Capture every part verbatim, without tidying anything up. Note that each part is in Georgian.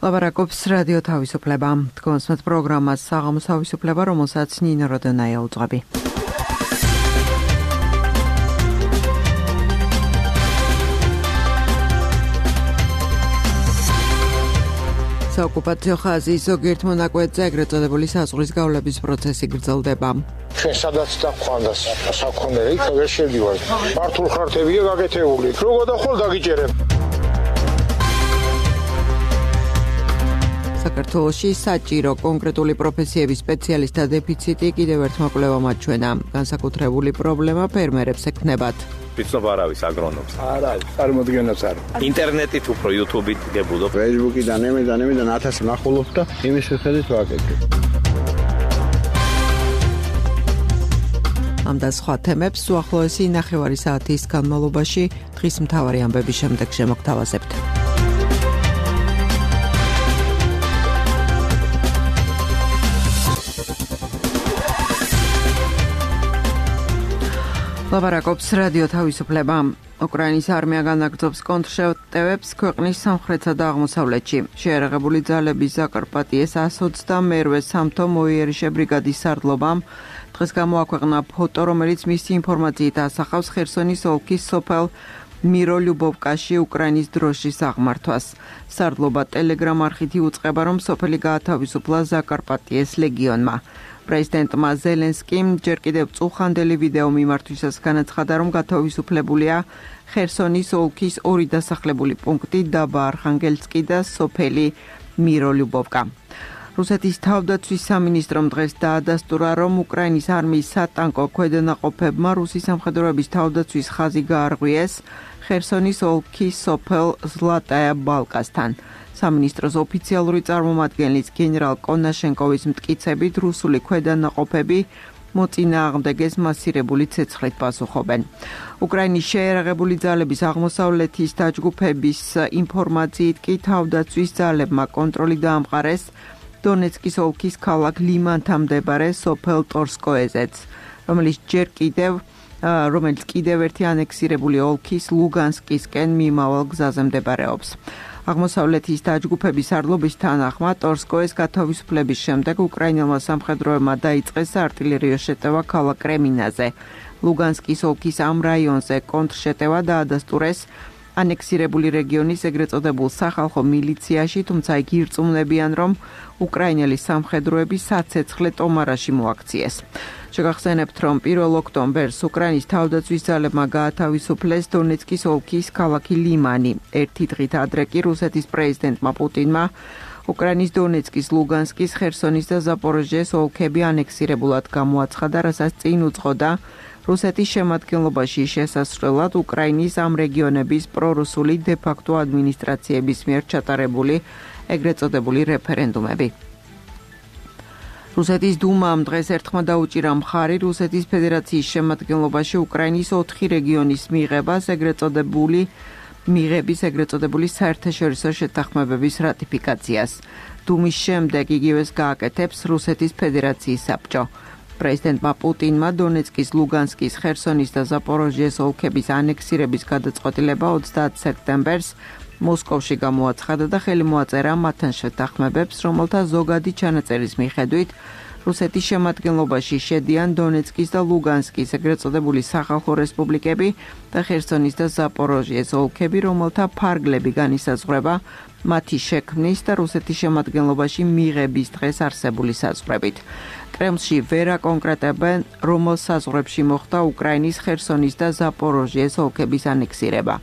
ლაბარაკობს რადიო თავისუფლება. თქვენს პროგრამას საღამოს თავისუფლება, რომელსაც ნინო როდონაია უძღვები. საოკუპაციო ხაზის ზოგიერთ მონაკვეთზე ეგრეთ წოდებული საზღვრის გავლების პროცესი გრძელდება. ჩვენ სადაც დაგვხანდას საქონელი, იქ ვერ შედივარ. მართულ ხარტებია გაკეთებული. როგორ დახვალ დაგიჭერებ. საქართველოში საჭირო კონკრეტული პროფესიების სპეციალისტთა დეფიციტი კიდევ ერთ მოკვლევამ აჩვენა. განსაკუთრებული პრობლემა ფერმერებს ექნებათ. ვიცნობ არ არის აგრონომს. არ არის, წარმოდგენაც არ. ინტერნეტით უფრო YouTube-ით გებულობ. Facebook-იდან, ემედან, ემედან ათას ნახულობ და იმის შეხედვით ვაკეთებ. ამ და სხვა თემებს უახლოესი ნახევარი საათის განმავლობაში დღის მთავარი ამბების შემდეგ შემოგთავაზებთ. ლაბარაკობს რადიო თავისუფლება. უკრაინის არმია განაგრძობს კონტრშეტევებს ქვეყნის სამხრეთსა და აღმოსავლეთში. შეიარაღებული ძალების ზაკარპატიეს ას ოცდამერვე სამთო მოიერიშე ბრიგადის სარდლობამ დღეს გამოაქვეყნა ფოტო, რომელიც მისი ინფორმაციით ასახავს ხერსონის ოლქის სოფელ მიროლიუბოვკაში უკრაინის დროშის აღმართვას. სარდლობა ტელეგრამ არხით იუწყება, რომ სოფელი გაათავისუფლა ზაკარპატიეს ლეგიონმა. პრეზიდენტმა ზელენსკიმ ჯერ კიდევ წუხანდელი ვიდეო მიმართვისას განაცხადა, რომ გათავისუფლებულია ხერსონის ოლქის ორი დასახლებული პუნქტი დაბა არხანგელსკი და სოფელი მიროლიუბოვკა. რუსეთის თავდაცვის სამინისტრომ დღეს დაადასტურა, რომ უკრაინის არმიის სატანკო ქვედანაყოფებმა რუსის სამხედროების თავდაცვის ხაზი გაარღვიეს ხერსონის ოლქის სოფელ ზლატაია ბალკასთან. სამინისტროს ოფიციალური წარმომადგენლის გენერალ კონაშენკოვის მტკიცებით რუსული ქვედანაყოფები მოწინააღმდეგეს მასირებული ცეცხლით პასუხობენ. უკრაინის შეიარაღებული ძალების აღმოსავლეთის დაჯგუფების ინფორმაციით კი თავდაცვის ძალებმა კონტროლი დაამყარეს დონეცკის ოლქის ქალაქ ლიმანთან მდებარე სოფელ ტორსკოეზეც, რომელიც ჯერ კიდევ რომელიც კიდევ ერთი ანექსირებული ოლქის ლუგანსკისკენ მიმავალ გზაზე მდებარეობს. აღმოსავლეთის დაჯგუფების სარდლობის თანახმად ტორსკოეს გათავისუფლების შემდეგ უკრაინელმა სამხედროებმა დაიწყეს საარტილერიო შეტევა ქალაქ კრემინაზე. ლუგანსკის ოლქის ამ რაიონზე კონტრშეტევა დაადასტურეს ანექსირებული რეგიონის ეგრეთ წოდებულ სახალხო მილიციაში, თუმცა იგი ირწმუნებიან, რომ უკრაინელი სამხედროები საცეცხლე ტომარაში მოაქციეს. შეგახსენებთ, რომ პირველ ოქტომბერს უკრაინის თავდაცვის ძალებმა გაათავისუფლეს დონეცკის ოლქის ქალაქი ლიმანი. ერთი დღით ადრე კი რუსეთის პრეზიდენტმა პუტინმა უკრაინის დონეცკის, ლუგანსკის, ხერსონის და ზაპოროჟიეს ოლქები ანექსირებულად გამოაცხადა, რასაც წინ უძღოდა რუსეთის შემადგენლობაში შესასვლელად უკრაინის ამ რეგიონების პრორუსული დე-ფაქტო ადმინისტრაციების მიერ ჩატარებული ეგრეთ წოდებული რეფერენდუმები. რუსეთის დუმამ დღეს ერთხმა დაუჭირა მხარი რუსეთის ფედერაციის შემადგენლობაში უკრაინის ოთხი რეგიონის მიღებას ეგრეთ წოდებული მიღების ეგრეთ წოდებული საერთაშორისო შეთანხმებების რატიფიკაციას. დუმის შემდეგ იგივეს გააკეთებს რუსეთის ფედერაციის საბჭო. პრეზიდენტმა პუტინმა დონეცკის, ლუგანსკის, ხერსონის და ზაპოროჟიეს ოლქების ანექსირების გადაწყვეტილება ოცდაათ სექტემბერს მოსკოვში გამოაცხადა და ხელი მოაწერა მათთან შეთანხმებებს, რომელთა ზოგადი ჩანაწერის მიხედვით რუსეთის შემადგენლობაში შედიან დონეცკის და ლუგანსკის ეგრეთ წოდებული სახალხო რესპუბლიკები და ხერსონის და ზაპოროჟიეს ოლქები, რომელთა ფარგლები განისაზღვრება მათი შექმნის და რუსეთის შემადგენლობაში მიღების დღეს არსებული საზღვრებით. კრემლში ვერ აკონკრეტებენ, რომელ საზღვრებში მოხდა უკრაინის ხერსონის და ზაპოროჟიეს ოლქების ანექსირება.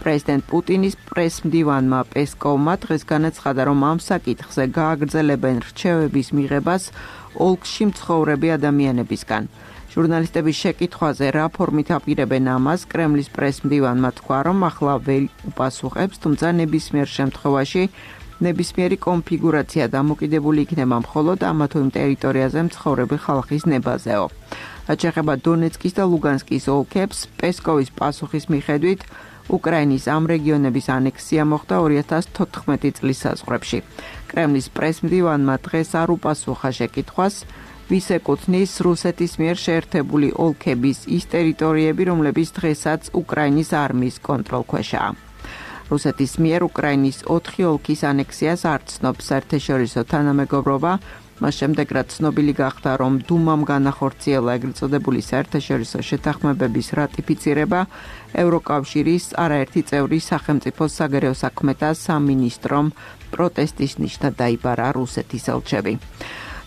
პრეზიდენტ პუტინის პრესმდივანმა პესკოვმა დღეს განაცხადა, რომ ამ საკითხზე გააგრძელებენ რჩევების მიღებას ოლქში მცხოვრები ადამიანებისგან. ჟურნალისტების შეკითხვაზე რა ფორმით აპირებენ ამას, კრემლის პრესმდივანმა თქვა, რომ ახლა ვერ უპასუხებს, თუმცა ნებისმიერ შემთხვევაში ნებისმიერი კონფიგურაცია დამოკიდებული იქნება მხოლოდ ამა თუ იმ ტერიტორიაზე მცხოვრები ხალხის ნებაზეო. რაც შეეხება დონეცკის და ლუგანსკის ოლქებს, პესკოვის პასუხის მიხედვით უკრაინის ამ რეგიონების ანექსია მოხდა ორი ათას თოთხმეტი წლის საზღვრებში. კრემლის პრესმდივანმა დღეს არ უპასუხა შეკითხვას, ვის ეკუთვნის რუსეთის მიერ შეერთებული ოლქების ის ტერიტორიები, რომლებიც დღესაც უკრაინის არმიის კონტროლქვეშაა. რუსეთის მიერ უკრაინის ოთხი ოლქის ანექსიას არ ცნობს საერთაშორისო თანამეგობრობა. მას შემდეგ, რაც ცნობილი გახდა, რომ დუმამ განახორციელა ეგრეთ წოდებული საერთაშორისო შეთანხმებების რატიფიცირება, ევროკავშირის არაერთი წევრი სახელმწიფოს საგარეო საქმეთა სამინისტრომ პროტესტის ნიშნად დაიბარა რუსეთის ელჩები.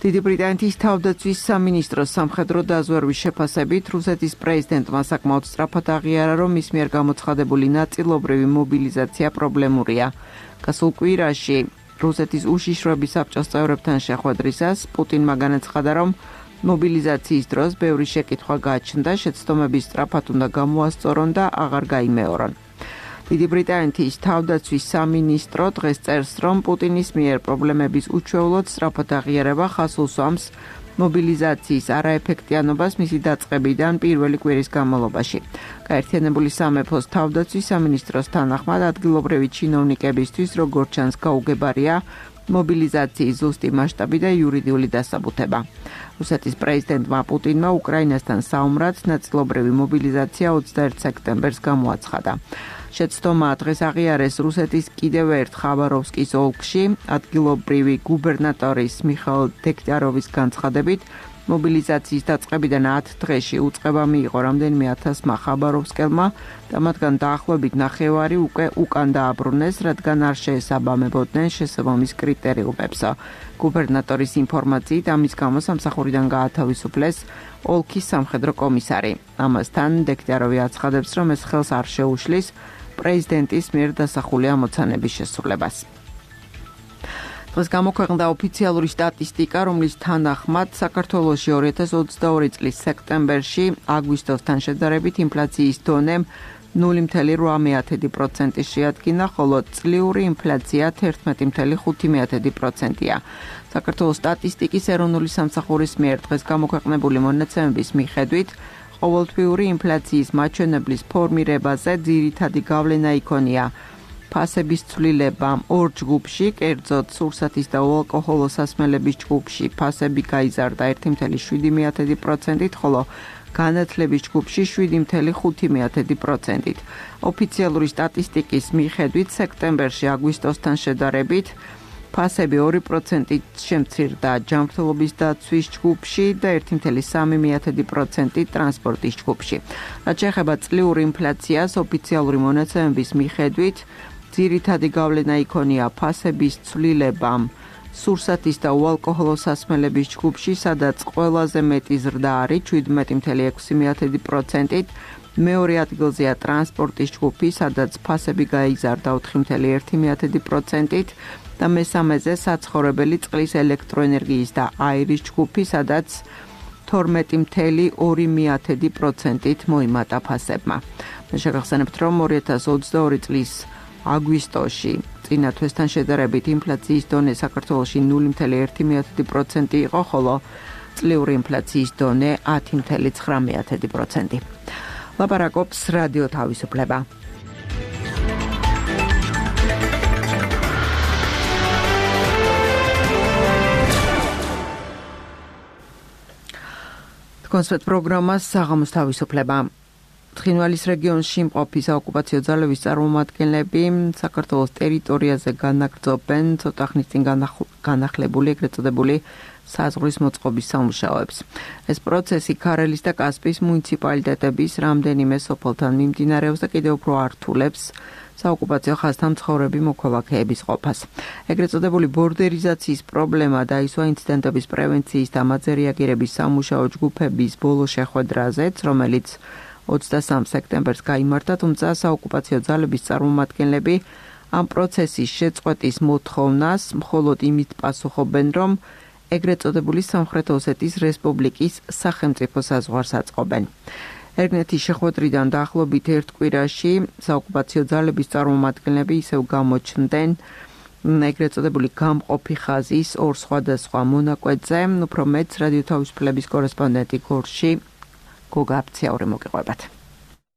დიდი ბრიტანეთის თავდაცვის სამინისტროს სამხედრო დაზვერვის შეფასებით რუსეთის პრეზიდენტმა საკმაოდ სწრაფად აღიარა, რომ მის მიერ გამოცხადებული ნაწილობრივი მობილიზაცია პრობლემურია. გასულ კვირაში რუსეთის უშიშროების საბჭოს წევრებთან შეხვედრისას პუტინმა განაცხადა, რომ მობილიზაციის დროს ბევრი შეკითხვა გააჩნდა, შეცდომების სწრაფად უნდა გამოასწორონ და აღარ გაიმეორონ. დიდი ბრიტანეთის თავდაცვის სამინისტრო დღეს წერს, რომ პუტინის მიერ პრობლემების უჩვეულოდ სწრაფად აღიარება ხას უსვამს მობილიზაციის არაეფექტიანობას მისი დაწყებიდან პირველი კვირის განმავლობაში. გაერთიანებული სამეფოს თავდაცვის სამინისტროს თანახმად ადგილობრივი ჩინოვნიკებისთვის როგორც ჩანს გაუგებარია მობილიზაციის ზუსტი მასშტაბი და იურიდიული დასაბუთება. რუსეთის პრეზიდენტმა პუტინმა უკრაინასთან საომრად ნაწილობრივი მობილიზაცია ოცდაერთ სექტემბერს გამოაცხადა. შეცდომა დღეს აღიარეს რუსეთის კიდევ ერთ ხაბაროვსკის ოლქში, ადგილობრივი გუბერნატორის მიხაილ დეგტიაროვის განცხადებით, მობილიზაციის დაწყებიდან ათ დღეში უწყება მიიღო რამდენიმე ათასმა ხაბაროვსკელმა და მათგან დაახლოებით ნახევარი უკვე უკან დააბრუნეს, რადგან არ შეესაბამებოდნენ შესაბამის კრიტერიუმებს. გუბერნატორის ინფორმაციით, ამის გამო სამსახურიდან გაათავისუფლეს ოლქის სამხედრო კომისარი. ამასთან დეგტიაროვი აცხადებს, რომ ეს ხელს არ შეუშლის პრეზიდენტის მიერ დასახული ამოცანების შესრულებას. დღეს გამოქვეყნდა ოფიციალური სტატისტიკა, რომლის თანახმად საქართველოში ორი ათას ოცდაორი წლის სექტემბერში აგვისტოსთან შედარებით ინფლაციის დონე ნული მცდარი რვა პროცენტი შეადგინა, ხოლო წლიური ინფლაცია თერთმეტი მცდარი ხუთი პროცენტია. საქართველოს სტატისტიკის ეროვნული სამსახურის მიერ დღეს გამოქვეყნებული მონაცემების მიხედვით, ყოველთვიური ინფლაციის მაჩვენებლის ფორმირებაზე ძირითადი გავლენა იქონია ფასების ცვლილება ორ ჯგუფში, კერძოდ სურსათის და უალკოჰოლო სასმელების ჯგუფში ფასები გაიზარდა ერთი მცდარი შვიდი პროცენტით, ხოლო განათლების ჯგუფში შვიდი მცდარი ხუთი პროცენტით. ოფიციალური სტატისტიკის მიხედვით, სექტემბერში აგვისტოსთან შედარებით ფასები ორი პროცენტით შემცირდა ჯანმრთელობის დაცვის ჯგუფში და ერთი მცდარი სამი პროცენტით ტრანსპორტის ჯგუფში. რაც შეეხება წლიურ ინფლაციას, ოფიციალური მონაცემების მიხედვით, ძირითადი გავლენა იქონია ფასების ცვლილებამ სურსათის და უალკოჰოლო სასმელების ჯგუფში, სადაც ყველაზე მეტი ზრდა არის შვიდმეტი მცდარი ექვსი პროცენტით, მეორე ადგილზეა ტრანსპორტის ჯგუფი, სადაც ფასები გაიზარდა ოთხი მცდარი ერთი პროცენტით და მესამეზე საცხოვრებელი წყლის ელექტროენერგიის და აირის ჯგუფი, სადაც თორმეტი მცდარი ორი პროცენტით მოიმატა ფასებმა. მე შეგახსენებთ, რომ ორი ათას ოცდაორი წლის აგვისტოში წინა თვესთან შედარებით ინფლაციის დონე საქართველოში ნული მცდარი ერთი პროცენტი იყო, ხოლო წლიური ინფლაციის დონე ათი მცდარი ცხრა პროცენტი. ლაპარაკობს რადიო თავისუფლება. კონსერტ პროგრამას საღამოს თავისუფლება. ცხინვალის რეგიონში მყოფი საოკუპაციო ძალების წარმომადგენლები საქართველოს ტერიტორიაზე განაგრძობენ ცოტა ხნის წინ განახლებული ეგრეთ წოდებული საზღვრის მოწყობის სამუშაოებს. ეს პროცესი ქარელის და კასპიის მუნიციპალიტეტების რამდენიმე სოფელთან მიმდინარეობს და კიდევ უფრო ართულებს საოკუპაციო ხაზთან მცხოვრები მოქალაქეების ყოფას. ეგრეთ წოდებული ბორდერიზაციის პრობლემა დაისვა ინციდენტების პრევენციის და ამაზე რეაგირების სამუშაო ჯგუფების ბოლო შეხვედრაზეც, რომელიც ოცდასამ სექტემბერს გაიმართა, თუმცა საოკუპაციო ძალების წარმომადგენლები ამ პროცესის შეწყვეტის მოთხოვნას მხოლოდ იმით პასუხობენ, რომ ეგრეთ წოდებული სამხრეთ ოსეთის რესპუბლიკის სახელმწიფო საზღვარს აწყობენ. ერგნეთის შეხვედრიდან დაახლოებით ერთ კვირაში საოკუპაციო ძალების წარმომადგენლები ისევ გამოჩნდნენ ეგრეთ წოდებული გამყოფი ხაზის ორ სხვადასხვა მონაკვეთზე, უფრო მეც რადიო თავისუფლების კორესპონდენტი გორში გოგა აფციური მოგიყვებათ.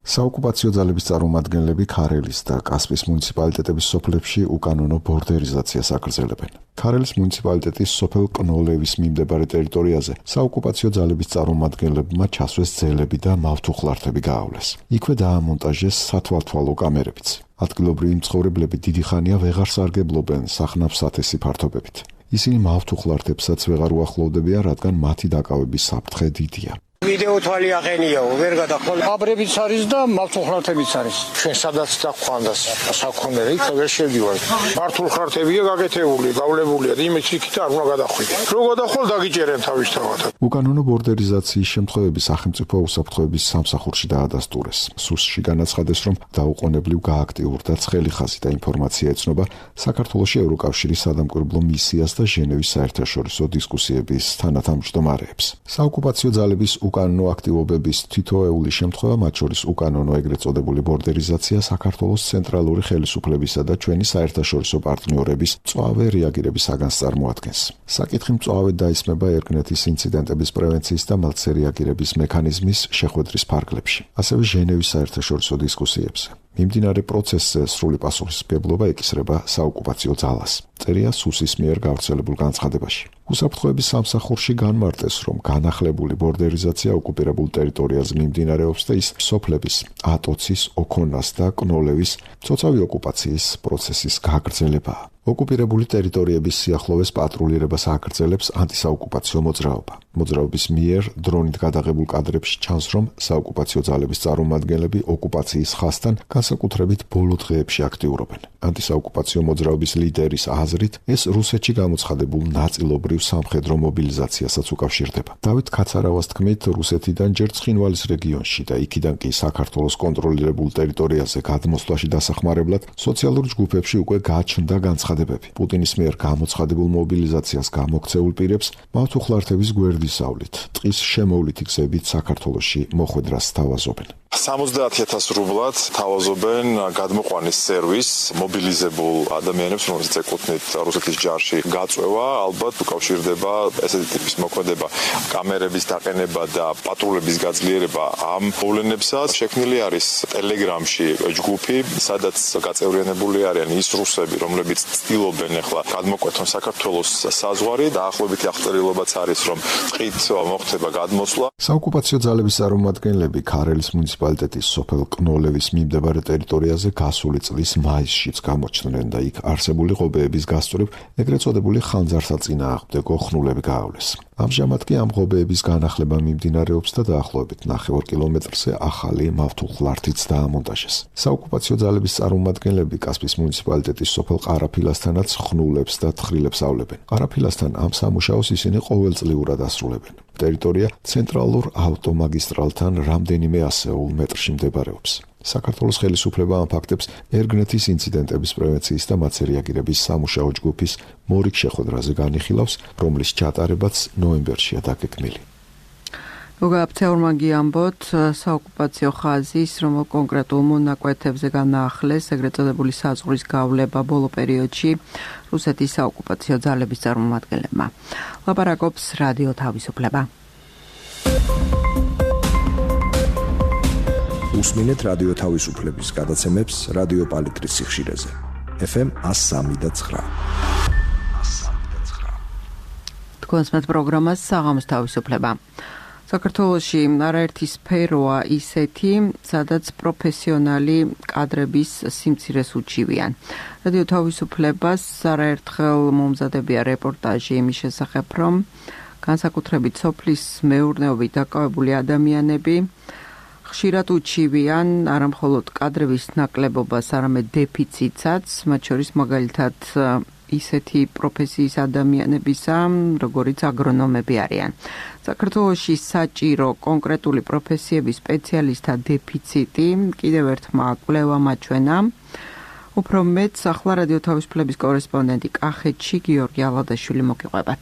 საოკუპაციო ძალების წარმომადგენლები ქარელის და კასპიის მუნიციპალიტეტების სოფლებში უკანონო ბორდერიზაციას აგრძელებენ. ქარელის მუნიციპალიტეტის სოფელ კნოლევის მიმდებარე ტერიტორიაზე საოკუპაციო ძალების წარმომადგენლებმა ჩასვეს ძელები და მავთუხლართები გაავლეს. იქვე დაამონტაჟეს სათვალთვალო კამერებიც. ადგილობრივი მცხოვრებლები დიდი ხანია ვეღარ სარგებლობენ სახნავ სათესი ფართობებით. ისინი მავთუხლართებსაც ვეღარ უახლოვდებიან, რადგან მათი დაკავების საფრთხე დიდია. ვიდეო თვალი აღენიაო, ვერ გადახვალ. აბრებიც არის და მავთუხლართებიც არის. ჩვენ სადაც დაგვხანდას საქონელი, იქ ვერ შევდივარ. მავთუხლართებია გაკეთებული, გავლებულია, იმის იქით არ უნდა გადახვიდე. რო გადახვალ დაგიჭერენ თავისთავად. უკანონო ბორდერიზაციის შემთხვევები სახელმწიფო უსაფრთხოების სამსახურში დაადასტურეს. სუსში განაცხადეს, რომ დაუყოვნებლივ გააქტიურდა ცხელი ხაზი და ინფორმაცია ეცნობა საქართველოში ევროკავშირის სადამკვირვებლო მისიას და ჟენევის საერთაშორისო დისკუსიების თანათავმჯდომარეებს. საოკუპაციო ძალების უკანონო აქტივობების თითოეული შემთხვევა, მათ შორის უკანონო ეგრეთ წოდებული ბორდერიზაცია საქართველოს ცენტრალური ხელისუფლებისა და ჩვენი საერთაშორისო პარტნიორების მწვავე რეაგირების საგანს წარმოადგენს. საკითხი მწვავედ დაისმება ერგნეთის ინციდენტების პრევენციის და მალცე რეაგირების მექანიზმის შეხვედრის ფარგლებში, ასევე ჟენევის საერთაშორისო დისკუსიებზე. მიმდინარე პროცესზე სრული პასუხისმგებლობა ეკისრება საოკუპაციო ძალას. წერია სუსის მიერ გავრცელებულ განცხადებაში. უსაფრთხოების სამსახურში განმარტეს, რომ განახლებული ბორდერიზაცია ოკუპირებულ ტერიტორიაზე მიმდინარეობს და ის სოფლების, ატოცის, ოქონას და კნოლევის ცოცავი ოკუპაციის პროცესის გაგრძელებაა. ოკუპირებული ტერიტორიების სიახლოვეს პატრულირებას აგრძელებს ანტისაოკუპაციო მოძრაობა. მოძრაობის მიერ დრონით გადაღებულ კადრებში ჩანს, რომ საოკუპაციო ძალების წარმომადგენლები ოკუპაციის ხაზთან განსაკუთრებით ბოლო დღეებში აქტიურობენ. ანტისაოკუპაციო მოძრაობის ლიდერის აზრით, ეს რუსეთში გამოცხადებულ ნაწილობრივ სამხედრო მობილიზაციასაც უკავშირდება. დავით ქაცარავას თქმით, რუსეთიდან ჯერ ცხინვალის რეგიონში და იქიდან კი საქართველოს კონტროლირებულ ტერიტორიაზე გადმოსვლაში დასახმარებლად სოციალურ ჯგუფებში უკვე გაჩნდა განცხადებები. პუტინის მიერ გამოცხადებულ მობილიზაციას გამოქცეულ პირებს მავთუხლართების გვერდისავლით, ტყის შემოვლითი გზებით საქართველოში მოხვედრას სთავაზობენ. სამოცდაათი ათასი რუბლად თავაზობენ გადმოყვანის სერვის მობილიზებულ ადამიანებს, რომელსაც ეკუთვნით რუსეთის ჯარში გაწვევა, ალბათ უკავშირდება ესეთი ტიპის მოქმედება, კამერების დაყენება და პატრულების გაძლიერება ამ მოვლენებსაც. შექმნილი არის ტელეგრამში ჯგუფი, სადაც გაწევრიანებული არიან ის რუსები, რომლებიც ცდილობენ ახლა გადმოკვეთონ საქართველოს საზღვარი, დაახლოებით აღწერილობაც არის, რომ ტყით მოხდება გადმოსვლა. საოკუპაციო ძალების წარმომადგენლები ქარელის მუნიციპალიტეტის სოფელ კნოლევის მიმდებარე ტერიტორიაზე გასული წლის მაისშიც გამოჩნდნენ და იქ არსებული ღობეების გასწვრივ ეგრეთ წოდებული ხანძარსაწინააღმდეგო ხნულები გაავლეს. ამჟამად კი ამ ღობეების განახლება მიმდინარეობს და დაახლოებით ნახევარ კილომეტრზე ახალი მავთუხლართიც დაამონტაჟეს. საოკუპაციო ძალების წარმომადგენლები კასპის მუნიციპალიტეტის სოფელ ყარაფილასთანაც ხნულებს და თხრილებს ავლებენ. ყარაფილასთან ამ სამუშაოს ისინი ყოველწლიურად ასრულებენ. ტერიტორია ცენტრალურ ავტომაგისტრალთან რამდენიმე ასეულ მეტრში მდებარეობს. საქართველოს ხელისუფლება ამ ფაქტებს ერგნეთის ინციდენტების პრევენციის და მათზე რეაგირების სამუშაო ჯგუფის მორიგ შეხვედრაზე განიხილავს, რომლის ჩატარებაც ნოემბერშია დაგეგმილი. მოგაფცეურმა გიამბოთ საოკუპაციო ხაზის, რომ კონკრეტულ მონაკვეთებზე განაახლეს ეგრეთ წოდებული საზღვრის გავლება ბოლო პერიოდში რუსეთის საოკუპაციო ძალების წარმომადგენლებმა. ლაპარაკობს რადიო თავისუფლება. უსმინეთ რადიო თავისუფლების გადაცემებს რადიო პალიტრის სიხშირეზე. ეფ ემ εκατო სამი და ცხრა. თქვენს მათ პროგრამას საღამოს თავისუფლება. საქართველოში არაერთი სფეროა ისეთი, სადაც პროფესიონალი კადრების სიმცირეს უჩივიან. რადიო თავისუფლებას არაერთხელ მომზადებია რეპორტაჟი იმის შესახებ, რომ განსაკუთრებით სოფლის მეურნეობით დაკავებული ადამიანები ხშირად უჩივიან არა მხოლოდ კადრების ნაკლებობას, არამედ დეფიციტსაც, მათ შორის მაგალითად ისეთი პროფესიის ადამიანებისა, როგორიც აგრონომები არიან. საქართველოში საჭირო კონკრეტული პროფესიების სპეციალისტთა დეფიციტი კიდევ ერთმა კვლევამ აჩვენა. უფრო მეტ ახლა რადიო თავისუფლების კორესპონდენტი კახეთში გიორგი ალადაშვილი მოგიყვებათ.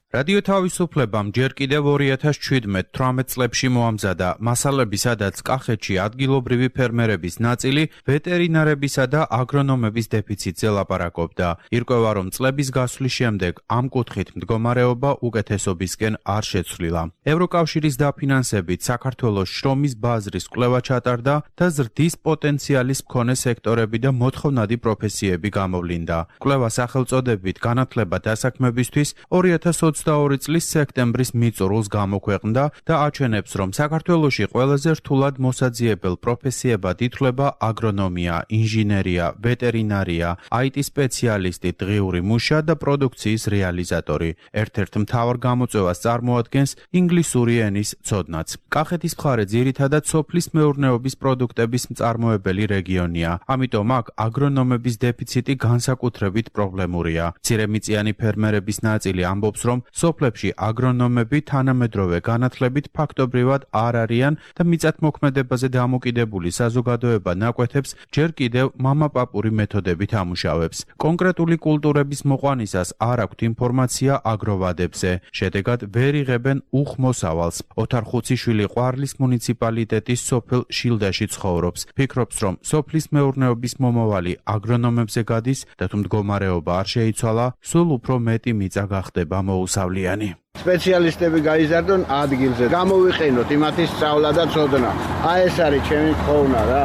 რადიო თავისუფლებამ ჯერ კიდევ ორი ათას შვიდმეტ თვრამეტ წლებში მოამზადა მასალები, სადაც კახეთში ადგილობრივი ფერმერების ნაწილი ვეტერინარებისა და აგრონომების დეფიციტზე ლაპარაკობდა. ირკვევა, რომ წლების გასვლის შემდეგ ამ კუთხით მდგომარეობა უკეთესობისკენ არ შეცვლილა. ევროკავშირის დაფინანსებით საქართველოს შრომის ბაზრის კვლევა ჩატარდა და ზრდის პოტენციალის მქონე სექტორები და მოთხოვნადი პროფესიები გამოვლინდა. კვლევას სახელწოდებით განათლება დასაქმებისთვის ორი ათას ოცდაოთხ ოცდაორი წლის სექტემბრის მიწურულს გამოქვეყნდა და აჩვენებს, რომ საქართველოში ყველაზე რთულად მოსაძიებელ პროფესიებად ითვლება აგრონომია, ინჟინერია, ვეტერინარია, აი ტი სპეციალისტი, დღიური მუშა და პროდუქციის რეალიზატორი. ერთ-ერთ მთავარ გამოწვევას წარმოადგენს ინგლისური ენის ცოდნაც. კახეთის მხარე ძირითადად სოფლის მეურნეობის პროდუქტების მწარმოებელი რეგიონია, ამიტომ აქ აგრონომების დეფიციტი განსაკუთრებით პრობლემურია. მცირემიწიანი ფერმერების ნაწილი ამბობს, რომ სოფლებში აგრონომები თანამედროვე განათლებით ფაქტობრივად არ არიან და მიწათმოქმედებაზე დამოკიდებული საზოგადოება ნაკვეთებს ჯერ კიდევ მამაპაპური მეთოდებით ამუშავებს. კონკრეტული კულტურების მოყვანისას არ აქვთ ინფორმაცია აგროვადებზე, შედეგად ვერ იღებენ უხმოსავალს. ოთარ ხუციშვილი ყვარლის მუნიციპალიტეტის სოფელ შილდაში ცხოვრობს. ფიქრობს, რომ სოფლის მეურნეობის მომავალი აგრონომებზე გადის და თუ მდგომარეობა არ შეიცვალა, სულ უფრო მეტი მიწა გახდება მოუსავლიანი. სპეციალისტები გაიზარდონ ადგილზე, გამოვიყენოთ იმათი სწავლა და ცოდნა. აი ეს არის ჩემი ხოვნა რა.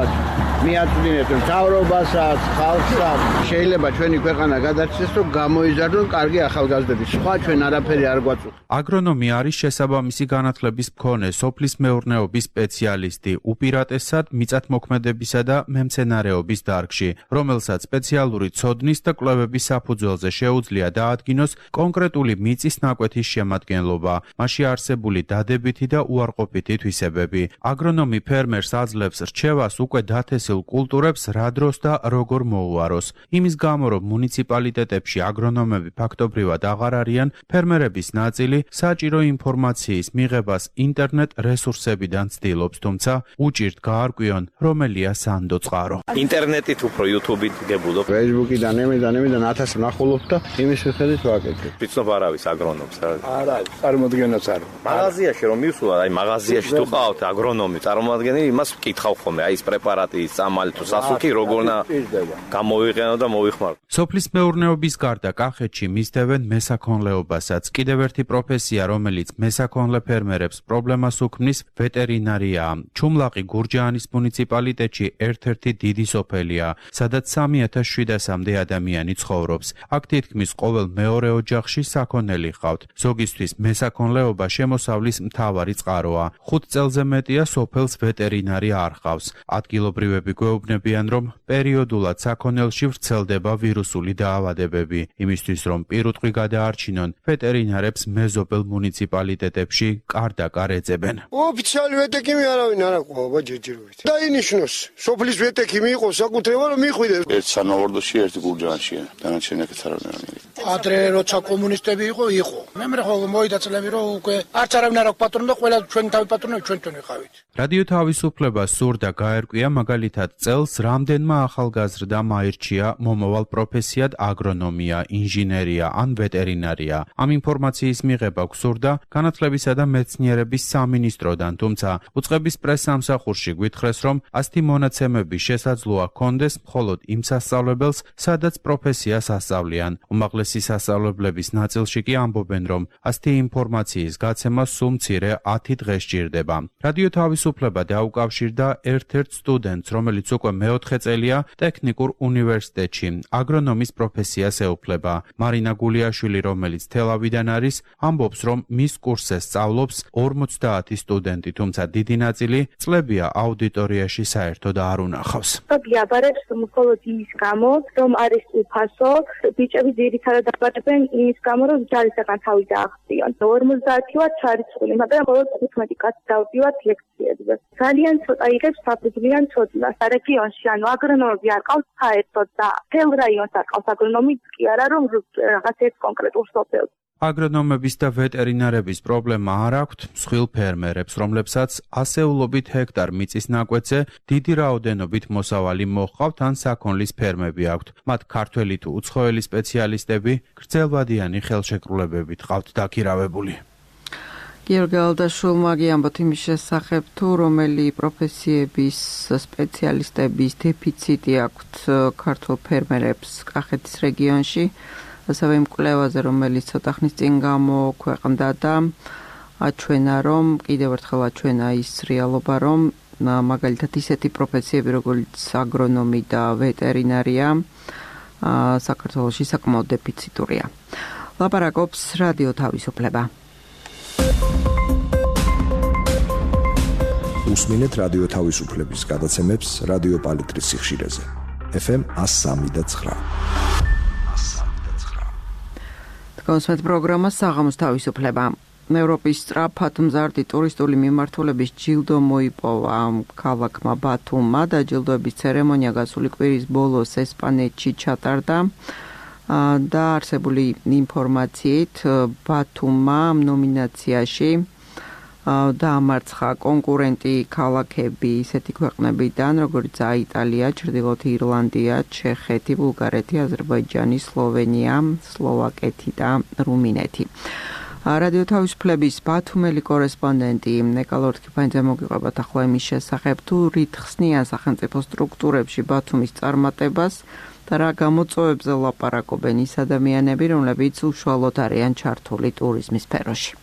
მიაწვდინეთ მთავრობასაც, ხალხსაც. შეიძლება ჩვენი ქვეყანა გადარჩეს, რომ გამოიზარდონ კარგი ახალგაზრდები. სხვა ჩვენ არაფერი არ გვაწუხ. აგრონომი არის შესაბამისი განათლების მქონე სოფლის მეურნეობის სპეციალისტი, უპირატესად მიწათმოქმედებისა და მემცენარეობის დარგში, რომელსაც სპეციალური ცოდნის და კვლევების საფუძველზე შეუძლია დაადგინოს კონკრეტული მიწის ნაკვეთის შემადგენლობა, მასში არსებული დადებითი და უარყოფითი თვისებები. აგრონომი ფერმერს აძლევს რჩევას უკვე დათესილ კულტურებს რა დროს და როგორ მოუაროს. იმის გამო, რომ მუნიციპალიტეტებში აგრონომები ფაქტობრივად აღარ არიან, ფერმერების ნაწილი საჭირო ინფორმაციის მიღებას ინტერნეტ რესურსებიდან ცდილობს, თუმცა უჭირთ გაარკვიონ, რომელია სანდო წყარო. ინტერნეტით უფრო YouTube-ით გებულობ. Facebook-იდან, ემედან, ემედან ათასი ნახულობ და იმის მიხედვით ვაკეთებ. ვიცნობ არავის აგრონომს რა. არ არის, წარმოადგენაც არ. მაღაზიაში რომ მივსულა, აი მაღაზიაში თუ ყავთ აგრონომი, წარმოადგენელი იმას ვკითხავ ხოლმე, აი ეს პრეპარატი, წამალი თუ სასუქი როგორნა გამოვიყენო და მოვიხმარო. სოფლის მეურნეობის გარდა კახეთში მისდევენ მესაქონლეობასაც. კიდევ ერთი პროფესია, რომელიც მესაქონლე ფერმერებს პრობლემას უქმნის, ვეტერინარია. ჩუმლაყი გურჯაანის მუნიციპალიტეტში ერთ-ერთი დიდი სოფელია, სადაც სამი ათას შვიდასამდე ადამიანი ცხოვრობს. აქ თითქმის ყოველ მეორე ოჯახში საქონელი ჰყავთ. ზოგისთვის მესაქონლეობა შემოსავლის მთავარი წყაროა. ხუთ წელზე მეტია სოფელს ვეტერინარი არ ჰყავს. ადგილობრივები გვეუბნებიან, რომ პერიოდულად საქონელში ვრცელდება ვირუსული დაავადებები. იმისთვის, რომ პირუტყვი გადაარჩინონ, ვეტერინარებს მეზობელ მუნიციპალიტეტებში კარდაკარ ეძებენ. ოფიციალი ვეტექიმი არავინ არ აკვავა ჯერჯერობით. დაინიშნოს, სოფლის ვეტექიმი იყოს საკუთრება, რომ მიხვიდეს. ერთ სანავარდოში, ერთი გურჯაანშია. დანარჩენი აქეთ არ არის. ადრე როცა კომუნისტები იყო, იყო. მე მე ხო მოიდა წლები, რომ უკვე არც არავინ არ აქვს პატრონი და ყველა ჩვენ თავი პატრონები ჩვენ ჩვენ ვიყავით. რადიო თავისუფლება სურდა გაერკვია მაგალითად წელს რამდენმა ახალგაზრდამ აირჩია მომავალ პროფესიად აგრონომია, ინჟინერია ან ვეტერინარია. ამ ინფორმაციის მიღება გსურდა განათლებისა და მეცნიერების სამინისტროდან, თუმცა უწყების პრესსამსახურში გვითხრეს, რომ ასეთი მონაცემები შესაძლოა ჰქონდეს მხოლოდ იმ სასწავლებელს, სადაც პროფესიას ასწავლიან. უმაღლესი სასწავლებლების ნაწილში კი ამბობენ, რომ ასეთი ინფორმაციის გაცემა სულ მცირე ათი დღე სჭირდება. რადიო თავისუფლება დაუკავშირდა ერთ-ერთ სტუდენტს, რომელიც უკვე მეოთხე წელია ტექნიკურ უნივერსიტეტში აგრონომის პროფესიას ეუფლება. მარინა გულიაშვილი, რომელიც თელავიდან არის, ამბობს, რომ მის კურსზე სწავლობს ორმოცდაათი სტუდენტი, თუმცა დიდი ნაწილი წლებია აუდიტორიაში საერთოდ არ უნახავს. გიაბარებს მხოლოდ იმის გამო, რომ არის უფასო, ბიჭები ძირითადად აბარებენ იმის გამო, რომ ჯარისაგან თავი დაახციონ. ორმოცდაათი ვარ ჩარიცხული, მაგრამ მხოლოდ თხუთმეტი კაცი დავდივართ ლექციებზე. ძალიან ცოტა იღებს საფუძვლიან ცოდნას რეგიონში, ანუ აგრონომები არ ყავს საერთოდ და თელ რაიონს არ ყავს აგრონომი, კი არა რომ რაღაც ერთ კონკრეტულ სოფელს. აგრონომების და ვეტერინარების პრობლემა არ აქვთ მსხვილ ფერმერებს, რომლებსაც ასეულობით ჰექტარ მიწის ნაკვეთზე დიდი რაოდენობით მოსავალი მოჰყავთ ან საქონლის ფერმები აქვთ. მათ ქართველი თუ უცხოელი სპეციალისტები გრძელვადიანი ხელშეკრულებებით ყავთ დაქირავებული. გიორგი ალდაშვილმა გიამბოთ იმის შესახებ, თუ რომელი პროფესიების სპეციალისტების დეფიციტი აქვთ ქართულ ფერმერებს კახეთის რეგიონში, ასევე იმ კვლევაზე, რომელიც ცოტა ხნის წინ გამოქვეყნდა და აჩვენა, რომ კიდევ ერთხელ აჩვენა ის რეალობა, რომ მაგალითად ისეთი პროფესიები, როგორც აგრონომი და ვეტერინარია, საქართველოში საკმაოდ დეფიციტურია. ლაპარაკობს რადიო თავისუფლება. უსმინეთ რადიო თავისუფლების გადაცემებს რადიო პალიტრის სიხშირეზე. ეფ ემ one oh three და nine. კონსვეთ პროგრამა საღამოს თავისუფლება. ევროპის სწრაფად მზარდი ტურისტული მიმართულების ჯილდო მოიპოვა ქალაქმა ბათუმმა და ჯილდოების ცერემონია გასული კვირის ბოლოს ესპანეთში ჩატარდა. და არსებული ინფორმაციით ბათუმმა ნომინაციაში დაამარცხა კონკურენტი ქალაქები ისეთი ქვეყნებიდან, როგორც იტალია, ჩრდილოეთ ირლანდია, ჩეხეთი, ბულგარეთი, აზერბაიჯანი, სლოვენია, სლოვაკეთი და რუმინეთი. რადიო თავისუფლების ბათუმელი კორესპონდენტი ნიკოლაი ორთქიფანიძე მოგიყვებათ ახლა იმის შესახებ, თუ რით ხსნიან სახელმწიფო სტრუქტურებში ბათუმის წარმატებას და რა გამოწვევებზე ლაპარაკობენ ის ადამიანები, რომლებიც უშუალოდ არიან ჩართული ტურიზმის სფეროში.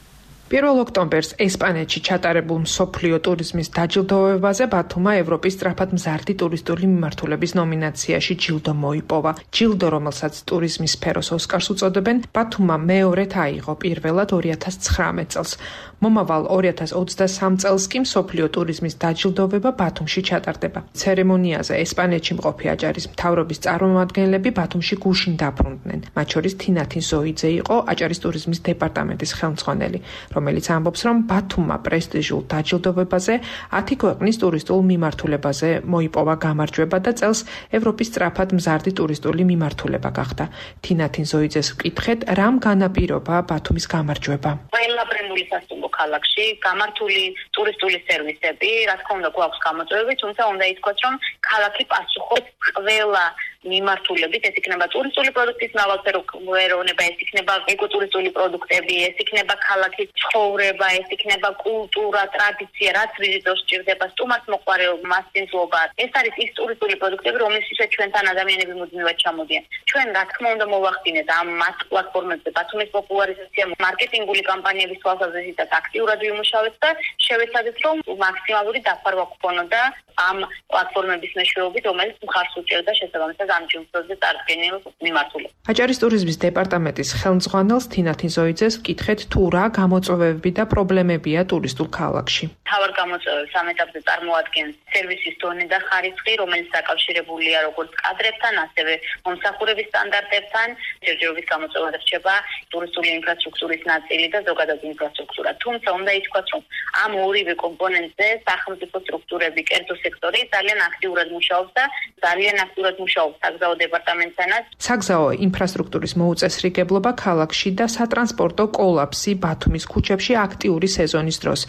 პირველ ოქტომბერს ესპანეთში ჩატარებულ მსოფლიო ტურიზმის დაჯილდოებაზე ბათუმმა ევროპის სწრაფად მზარდი ტურისტული მიმართულების ნომინაციაში ჯილდო მოიპოვა. ჯილდო, რომელსაც ტურიზმის სფეროს ოსკარს უწოდებენ, ბათუმმა მეორედ აიღო, პირველად ორი ათას ცხრამეტ წელს. მომავალ ორი ათას ოცდასამ წელს კი მსოფლიო ტურიზმის დაჯილდოვება ბათუმში ჩატარდება. ცერემონიაზე ესპანეთში მყოფი აჭარის მთავრობის წარმომადგენლები ბათუმში გუშინ დაბრუნდნენ. მათ შორის თინათინ ზოიძე იყო აჭარის ტურიზმის დეპარტამენტის ხელმძღვანელი, რომელიც ამბობს, რომ ბათუმმა პრესტიჟულ დაჯილდოვებაზე ათი ქვეყნის ტურისტულ მიმართულებაზე მოიპოვა გამარჯვება და წელს ევროპის სწრაფად მზარდი ტურისტული მიმართულება გახდა. თინათინ ზოიძეს ვკითხეთ, რამ განაპირობა ბათუმის გამარჯვება. ყველაფრენული სასტუმრო ქალაქში გამართული ტურისტული სერვისები, რა თქმა უნდა, გვაქვს გამოწვევები, თუმცა უნდა ითქვას, რომ ქალაქი პასუხობს ყველა მიმართულებით, ეს იქნება ტურისტული პროდუქტის მრავალფეროვნება, ეს იქნება ეკოტურისტული პროდუქტები, ეს იქნება ქალაქის ცხოვრება, ეს იქნება კულტურა, ტრადიცია, რაც ვიზიტორს სჭირდება, სტუმარს მოყვარეობა, მასწინძლობა. ეს არის ის ტურისტული პროდუქტები, რომლისთვისაც ჩვენთან ადამიანები მუდმივად ჩამოდიან. ჩვენ რა თქმა უნდა მოვახდინეთ ამ მას პლატფორმებზე ბათუმის პოპულარიზაცია, მარკეტინგული კამპანიების თვალსაზრისითაც აქტიურად ვიმუშავეთ და შევეცადეთ, რომ მაქსიმალური დაფარვა გქონოდა ამ პლატფორმების მეშვეობით, რომელიც მხარს უჭერდა შესაბამისად ამ ჯილდოზე წარდგენილ მიმართულებას. აჭარის ტურიზმის დეპარტამენტის ხელმძღვანელს თინათინ ზოიძეს ვკითხეთ, თუ რა გამოწვევები და პრობლემებია ტურისტულ ქალაქში. თავარ გამოწვევებს ამ ეტაპზე წარმოადგენს სერვისის დონე და ხარისხი, რომელიც დაკავშირებულია როგორც კადრებთან, ასევე მომსახურების სტანდარტებთან. ჯერჯერობით გამოწვევა რჩება ტურისტული ინფრასტრუქტურის ნაწილი და ზოგადად ინფრასტრუქტურა. თუმცა უნდა ითქვას, რომ ამ ორივე კომპონენტზე სახელმწიფო სტრუქტურები, კერძო სექტორი ძალიან აქტიურად მუშაობს და ძალიან აქტიურად მუშაობს საგზაო დეპარტამენტთანაც. საგზაო ინფრასტრუქტურის მოუწესრიგებლობა ქალაქში და სატრანსპორტო კოლაფსი ბათუმის ქუჩებში აქტიური სეზონის დროს.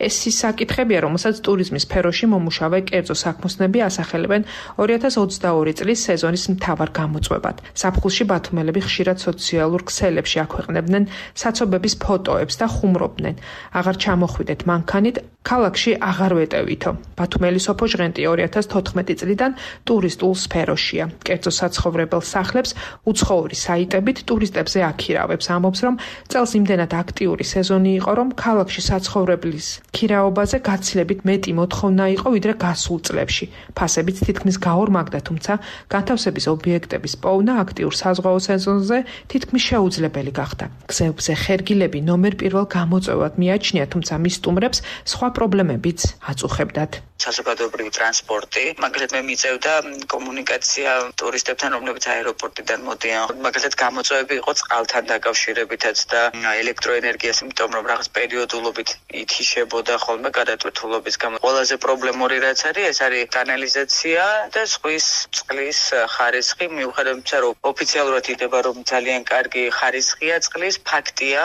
ეს ის საკითხებია, რომელსაც ტურიზმის სფეროში მომუშავე კერძო საქმოსნები ასახელებენ ორი ათას ოცდაორი წლის სეზონის მთავარ გამოწვევად. ზაფხულში ბათუმელები ხშირად სოციალურ ქსელებში აქვეყნებდნენ საცობების ფოტოებს და ხუმრობდნენ. აღარ ჩამოხვიდეთ მანქანით, ქალაქში აღარ ვეტევითო. ბათუმელი სოფო ჟღენტი ორი ათას თოთხმეტი წლიდან ტურისტულ სფეროშია. კერძო საცხოვრებელ სახლებს უცხოური საიტებით ტურისტებზე აქირავებს. ამბობს, რომ წელს იმდენად აქტიური სეზონი იყო, რომ ქალაქში საცხოვრებლის ქირაობაზე გაცილებით მეტი მოთხოვნა იყო, ვიდრე გასულ წლებში. ფასებიც თითქმის გაორმაგდა, თუმცა განთავსების ობიექტების პოვნა აქტიურ საზღვაო სეზონზე თითქმის შეუძლებელი გახდა. გზებზე ხერგილები ნომერ პირველ გამოწვევად მიაჩნია, თუმცა მის სტუმრებს სხვა პრობლემებიც აწუხებდათ. საზოგადოებრივი ტრანსპორტი, მაგალითად მე მიწევდა კომუნიკაცია ტურისტებთან, რომლებიც აეროპორტიდან მოდიან. მაგალითად გამოწვევები იყო წყალთან დაკავშირებითაც და ელექტროენერგიას, იმიტომ რომ რაღაც პერიოდულობით ითიშებოდა ხოლმე გადატვირთულობის გამო. ყველაზე პრობლემური რაც არის, ეს არის კანალიზაცია და ზღვის წყლის ხარისხი. მიუხედავად იმისა, რომ ოფიციალურად იდება, რომ ძალიან კარგი ხარისხია წყლის, ფაქტია,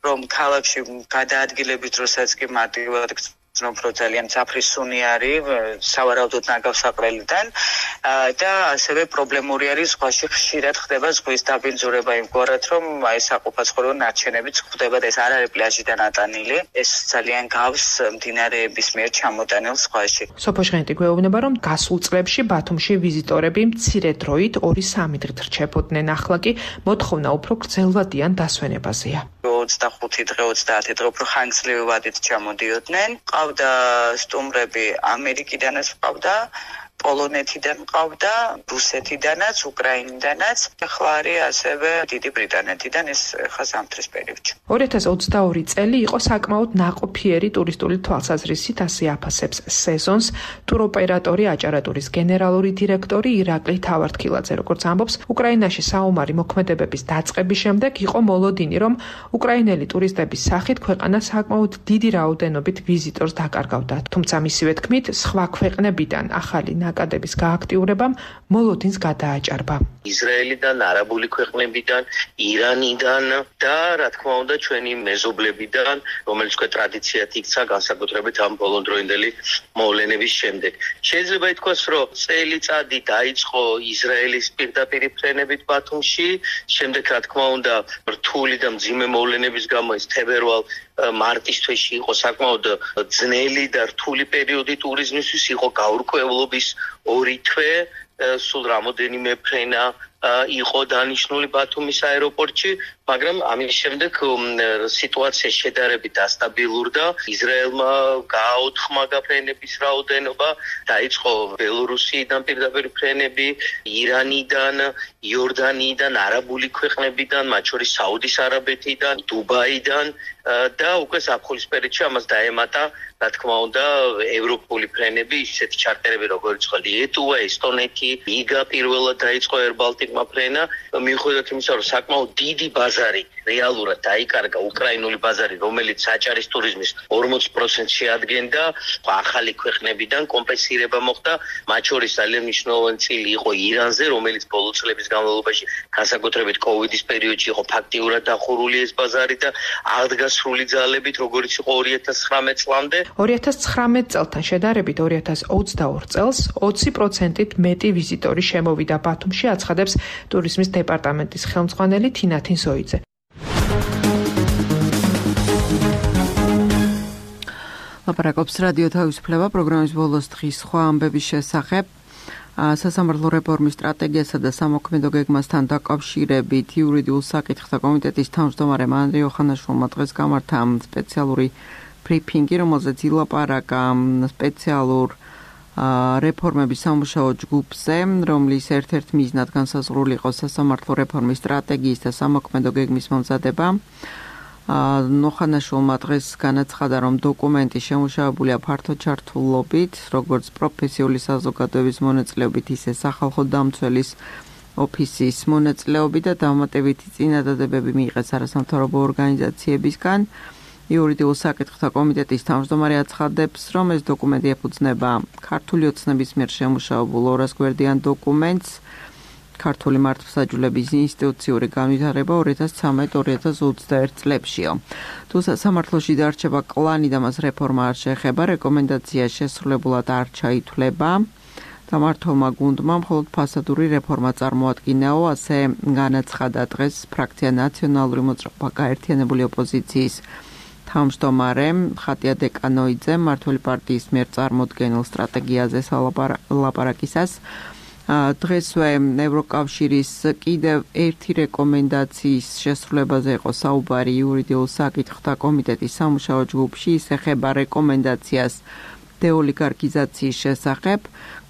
რომ ქალაქში გადაადგილების დროსაც კი მარტივად რომ ძალიან საფრისუნი არის სავარაუდოდ ნაგავსაყრელიდან და ასევე პრობლემური არის ზღვაში ხშირად ხდება ზღვის დაბინძურება იმგვარად რომ აი საყოფაცხოვრებო ნარჩენებიც ხდება და ეს არ არის პლაჟიდან ატანილი ეს ძალიან გავს მდინარეების მიერ ჩამოტანილ ზღვაში. სოფო ჟღენტი გვეუბნება რომ გასულ წლებში ბათუმში ვიზიტორები მცირე დროით ორი სამი დღით რჩებოდნენ, ახლა კი მოთხოვნა უფრო გრძელვადიან დასვენებაზეა. ოცდახუთი დღე ოცდაათი დღე უფრო ხანგრძლივი ვადით ჩამოდიოდნენ. ყავდა სტუმრები ამერიკიდანაც ყავდა პოლონეთიდან ყავდა, რუსეთიდანაც, უკრაინიდანაც, ახლა არის ასევე დიდი ბრიტანეთიდან ეს ხა ზამთრის პერიოდში. ორი ათას ოცდაორი წელი იყო საკმაოდ ნაყოფიერი ტურისტული თვალსაზრისით, ასე აფასებს სეზონს ტუროპერატორი აჭარატურის გენერალური დირექტორი ირაკლი თავართქილაძე. როგორც ამბობს, უკრაინაში საომარი მოქმედებების დაწყების შემდეგ იყო მოლოდინი, რომ უკრაინელი ტურისტების სახით ქვეყანა საკმაოდ დიდი რაოდენობით ვიზიტორს დაკარგავდა. თუმცა მისივე თქმით, სხვა ქვეყნებიდან ახალი ნაკადების გააქტიურებამ მოლოდინს გადააჭარბა. ისრაელიდან, არაბული ქვეყნებიდან, ირანიდან და რა თქმა უნდა ჩვენი მეზობლებიდან, რომელიც უკვე ტრადიციად იქცა განსაკუთრებით ამ ბოლონდროინდელი მოვლენების შემდეგ. შეიძლება ითქვას, რომ წელიწადი დაიწყო ისრაელის პირდაპირი ფრენებით ბათუმში, შემდეგ რა თქმა უნდა რთული და მძიმე მოვლენების გამო ეს თებერვალ მარტის თვეში იყო საკმაოდ ძნელი და რთული პერიოდი ტურიზმისთვის, იყო გაურკვევლობის ორი თვე, სულ რამოდენიმე ფრენა იყო დანიშნული ბათუმის აეროპორტში, მაგრამ ამის შემდეგ სიტუაცია შედარებით დასტაბილურდა. ისრაელმა გააოთხმა ფრენების რაოდენობა, დაიწყო ბელორუსიიდან პირდაპირ ფრენები, ირანიდან, იორდანიიდან, არაბული ქვეყნებიდან, მათ შორის საუდის არაბეთიდან, დუბაიდან და უკვე ზაფხულის პერიოდში ამას დაემატა, რა თქმა უნდა, ევროპული ფრენები, ისეთი ჩარტერები როგორც იყო ლიეტუვა, ესტონეთი, იგა პირველად დაიწყო Air Baltic-მა ფრენა, მიუხედავად იმისა, რომ საკმაოდ დიდი ბაზარი რეალურად დაიკარგა, უკრაინული ბაზარი, რომელიც საჭარის ტურიზმის ორმოცი პროცენტს შეადგენდა, ახალი ქვეყნებიდან კომპენსირება მოხდა, მათ შორის ძალიან მნიშვნელოვანი წილი იყო ირანზე, რომელიც ბოლო წლების განმავლობაში, განსაკუთრებით კოვიდის პერიოდში იყო ფაქტიურად დახურული ეს ბაზარი და აღდგა სრული ძალებით, როგორც იყო ორი ათას ცხრამეტ წლამდე. ორი ათას ცხრამეტ წელთან შედარებით ორი ათას ოცდაორ წელს ოცი პროცენტით მეტი ვიზიტორი შემოვიდა ბათუმში, აცხადებს ტურიზმის დეპარტამენტის ხელმძღვანელი თინათინ ზოიძე. ლაპარაკობს რადიო თავისუფლება პროგრამის ბოლოს დღის სხვა ამბების შესახებ. სასამართლო რეფორმის სტრატეგიასა და სამოქმედო გეგმასთან დაკავშირებით იურიდიულ საკითხთა კომიტეტის თავმჯდომარემ ანდრე ოხანაშვილმა დღეს გამართა სპეციალური ბრიფინგი, რომელზეც ილაპარაკა სპეციალურ რეფორმების სამუშაო ჯგუფზე, რომლის ერთ-ერთ მიზნად განსაზღვრული იყო სასამართლო რეფორმის სტრატეგიის და სამოქმედო გეგმის მომზადება. ოხანაშვილმა დღეს განაცხადა, რომ დოკუმენტი შემუშავებულია ფართო ჩართულობით, როგორც პროფესიული საზოგადოების მონაწილეობით, ისე სახალხო დამცველის ოფისის მონაწილეობით და დამატებითი წინადადებები მიიღეს არასამთავრობო ორგანიზაციებისგან. იურიდიულ საკითხთა კომიტეტის თავმჯდომარე აცხადებს, რომ ეს დოკუმენტი ეფუძნება ქართული ოცნების მიერ შემუშავებულ ორას გვერდიან დოკუმენტს, ქართული მართლმსაჯულების ინსტიტუციური განვითარება ორი ათას ცხრამეტ ორი ათას ოცდაერთ წლებშიო. თუ სამართლოში დარჩება კლანი და მას რეფორმა არ შეეხება, რეკომენდაცია შესრულებულად არ ჩაითვლება. დამართოვმა გუნდმა მხოლოდ ფასადური რეფორმა წარმოადგინაო, ასე განაცხადა დღეს ფრაქცია ნაციონალური მოძრაობა გაერთიანებული ოპოზიციის თავმჯდომარე ხატია დეკანოიძემ მმართველი პარტიის მიერ წარმოდგენილ სტრატეგიაზე ლაპარაკისას. დღესვე ევროკავშირის კიდევ ერთი რეკომენდაციის შესრულებაზე იყო საუბარი იურიდიულ საკითხთა კომიტეტის სამუშაო ჯგუფში, ის ეხება რეკომენდაციას დეოლიგარქიზაციის შესახებ.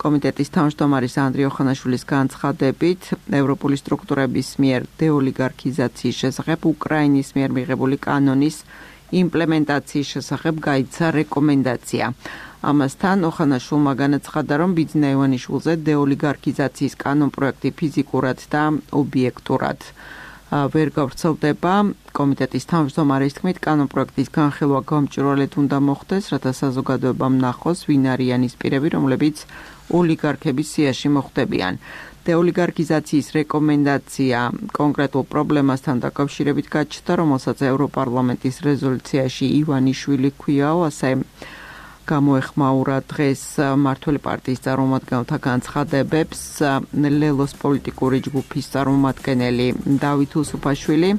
კომიტეტის თავმჯდომარის ანდრე ოხანაშვილის განცხადებით, ევროპული სტრუქტურების მიერ დეოლიგარქიზაციის შესახებ უკრაინის მიერ მიღებული კანონის იმპლემენტაციის შესახებ გაიცა რეკომენდაცია. ამასთან ოხანაშვილმა განაცხადა, რომ ბიძინა ივანიშვილზე დეოლიგარქიზაციის კანონპროექტი ფიზიკურად და ობიექტურად ვერ გავრცელდება. კომიტეტის თავმჯდომარის თქმით, კანონპროექტის განხილვა გამჭვირვალედ უნდა მოხდეს, რათა საზოგადოებამ ნახოს, ვინ არიან ის პირები, რომლებიც ოლიგარქების სიაში მოხვდებიან. დეოლიგარქიზაციის რეკომენდაცია კონკრეტულ პრობლემასთან დაკავშირებით გაჩნდა, რომელსაც ევროპარლამენტის რეზოლუციაში ივანიშვილი ქვიაო, ასე გამოეხმაურა დღეს მმართველი პარტიის წარმომადგენელთა განცხადებებს ლელოს პოლიტიკური ჯგუფის წარმომადგენელი დავით უსუფაშვილი.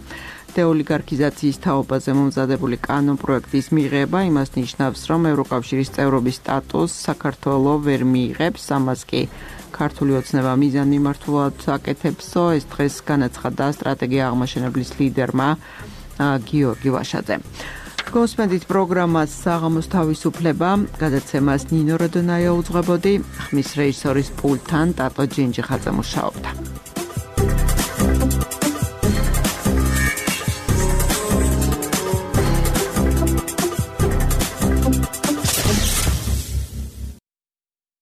დეოლიგარქიზაციის თაობაზე მომზადებული კანონპროექტის მიღება იმას ნიშნავს, რომ ევროკავშირის წევრობის სტატუსს საქართველო ვერ მიიღებს, ამას კი ქართული ოცნება მიზან მიმართულად აკეთებსო. ეს დღეს განაცხადა სტრატეგია აღმაშენებლის ლიდერმა გიორგი ვაშაძემ. გოსმედით პროგრამას საღამოს თავისუფლება, გადაცემას ნინო როდონაია უძღვებოდი, ხმის რეჟისორის პულტთან ტატო ჯინჯი ხაძე მუშაობდა.